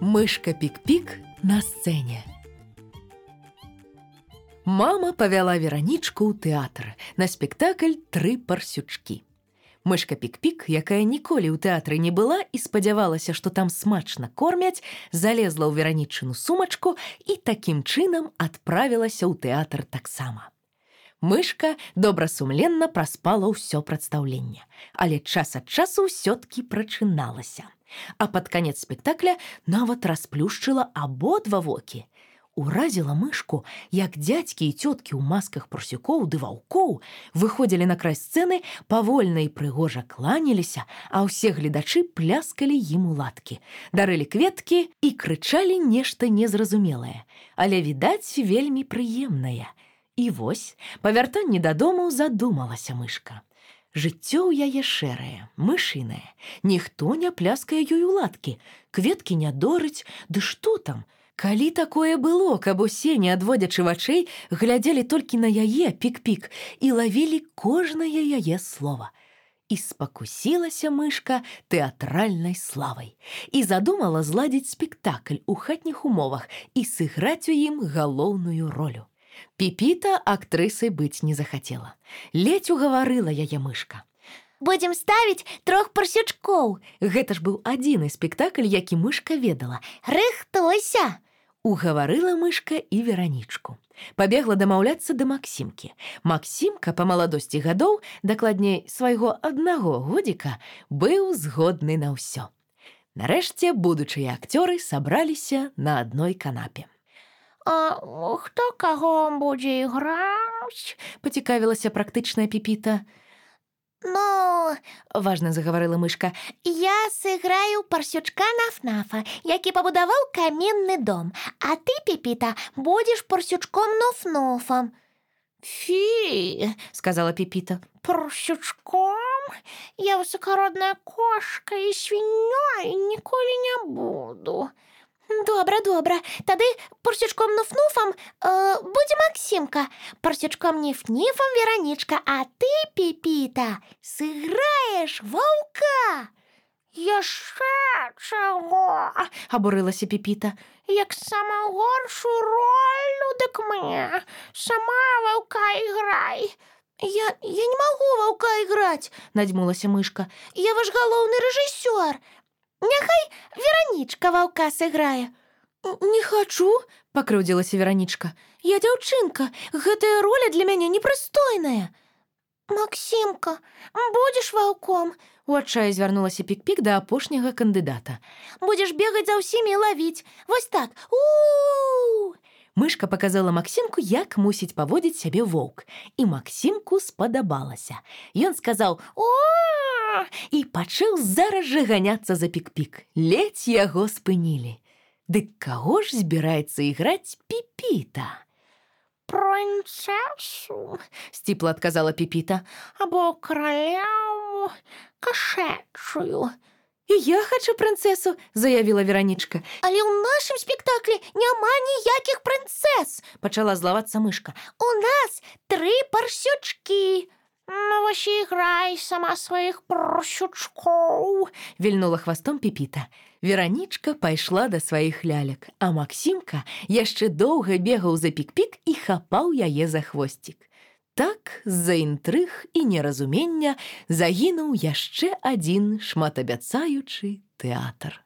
Мышка Пік-Пік на сцэне. Мама павяла Веранічку ў тэатр на спектакль «Тры парсючкі». Мышка Пік-Пік, якая ніколі ў тэатры не была і спадзявалася, што там смачна кормяць, залезла ў Веранічыну сумачку і такім чынам адправілася ў тэатр таксама. Мышка добрасумленна праспала ўсё прадстаўленне, але час ад часу ўсё-ткі прачыналася. А пад канец спектакля нават расплюшчыла абодва вокі. Уразіла мышку, як дзядзькі і цёткі ў масках парсюкоў ды ваўкоў выходзілі на край сцэны, павольна і прыгожа кланяліся, а ўсе гледачы пляскалі ім у ладкі, дарылі кветкі і крычалі нешта незразумелае, але, відаць, вельмі прыемнае. І вось, па вяртанні дадому задумалася мышка. Жыццё ў яе шэрае, мышынае. Ніхто не пляскае ёй у ладкі, кветкі не дорыць, ды што там? Калі такое было, каб усе, не адводзячы вачэй, глядзелі толькі на яе, Пік-Пік, і лавілі кожнае яе слова. І спакусілася мышка тэатральнай славай. І задумала зладзіць спектакль у хатніх умовах і сыграць у ім галоўную ролю. Піпіта актрысай быць не захацела. Ледзь угаварыла яе мышка. «Будзем ставіць 3 парсючкоў!» Гэта ж быў адзіны спектакль, які мышка ведала. «Рыхтуйся!» Угаварыла мышка і Веранічку. Пабегла дамаўляцца да Максімкі. Максімка па маладосці гадоў, дакладней свайго 1 годзіка, быў згодны на ўсё. Нарэшце будучыя акцёры сабраліся на адной канапе. «А хто каго будзе іграць?» – пацікавілася практычная Піпіта. «Ну, – важна загаварыла мышка, – я сыграю парсючка Наф-Нафа, які пабудаваў каменны дом, а ты, Піпіта, будзеш парсючком Нуф-Нуфам». «Фі!» – сказала Піпіта. «Парсючком? Я высокародная кошка і свіннёй ніколі не буду». «Добра, добра. Тады парсючком Нуф-Нуфам будзе Максімка, парсючком Ніф-Ніфам Веранічка, а ты, Піпіта, сыграеш ваўка». «Яшчэ чаго?» – абурылася Піпіта. «Як самую горшую ролю, дык мне сама ваўка іграй». «Я не магу ваўка іграць», – надзьмулася мышка. «Я ваш галоўны рэжысёр. Няхай Веранічка ваўка сыграе». «Не хачу», – пакрыўдзілася Веранічка. «Я дзяўчынка, гэтая роля для мяне непрыстойная». «Максімка, будзеш ваўком?» – у адчаі звярнулася Пік-Пік да апошняга кандыдата. «Будзеш бегаць за ўсімі і лавіць. Вось так. У-у-у!» Мышка паказала Максімку, як мусіць паводзіць сябе воўк. І Максімку спадабалася. Ён сказаў «О!» і пачаў зараз жа ганяцца за Пік-Пік. Ледзь яго спынілі. Дык каго ж збіраецца іграць Піпіта? «Прынцэсу», – сціпла адказала Піпіта. «Або каралеву кашэчую». «І я хачу прынцэсу», – заявіла Веранічка. «Але ў нашым спектаклі няма ніякіх прынцэс», – пачала злавацца мышка. «У нас 3 парсючкі». «Ну, вось і іграй сама сваіх парсючкоў», – вільнула хвастом Піпіта. Веранічка пайшла да сваіх лялек, а Максімка яшчэ доўга бегаў за Пік-Пік і хапаў яе за хвосцік. Так, з-за інтрыг і неразумення загінуў яшчэ адзін шматабяцаючы тэатр.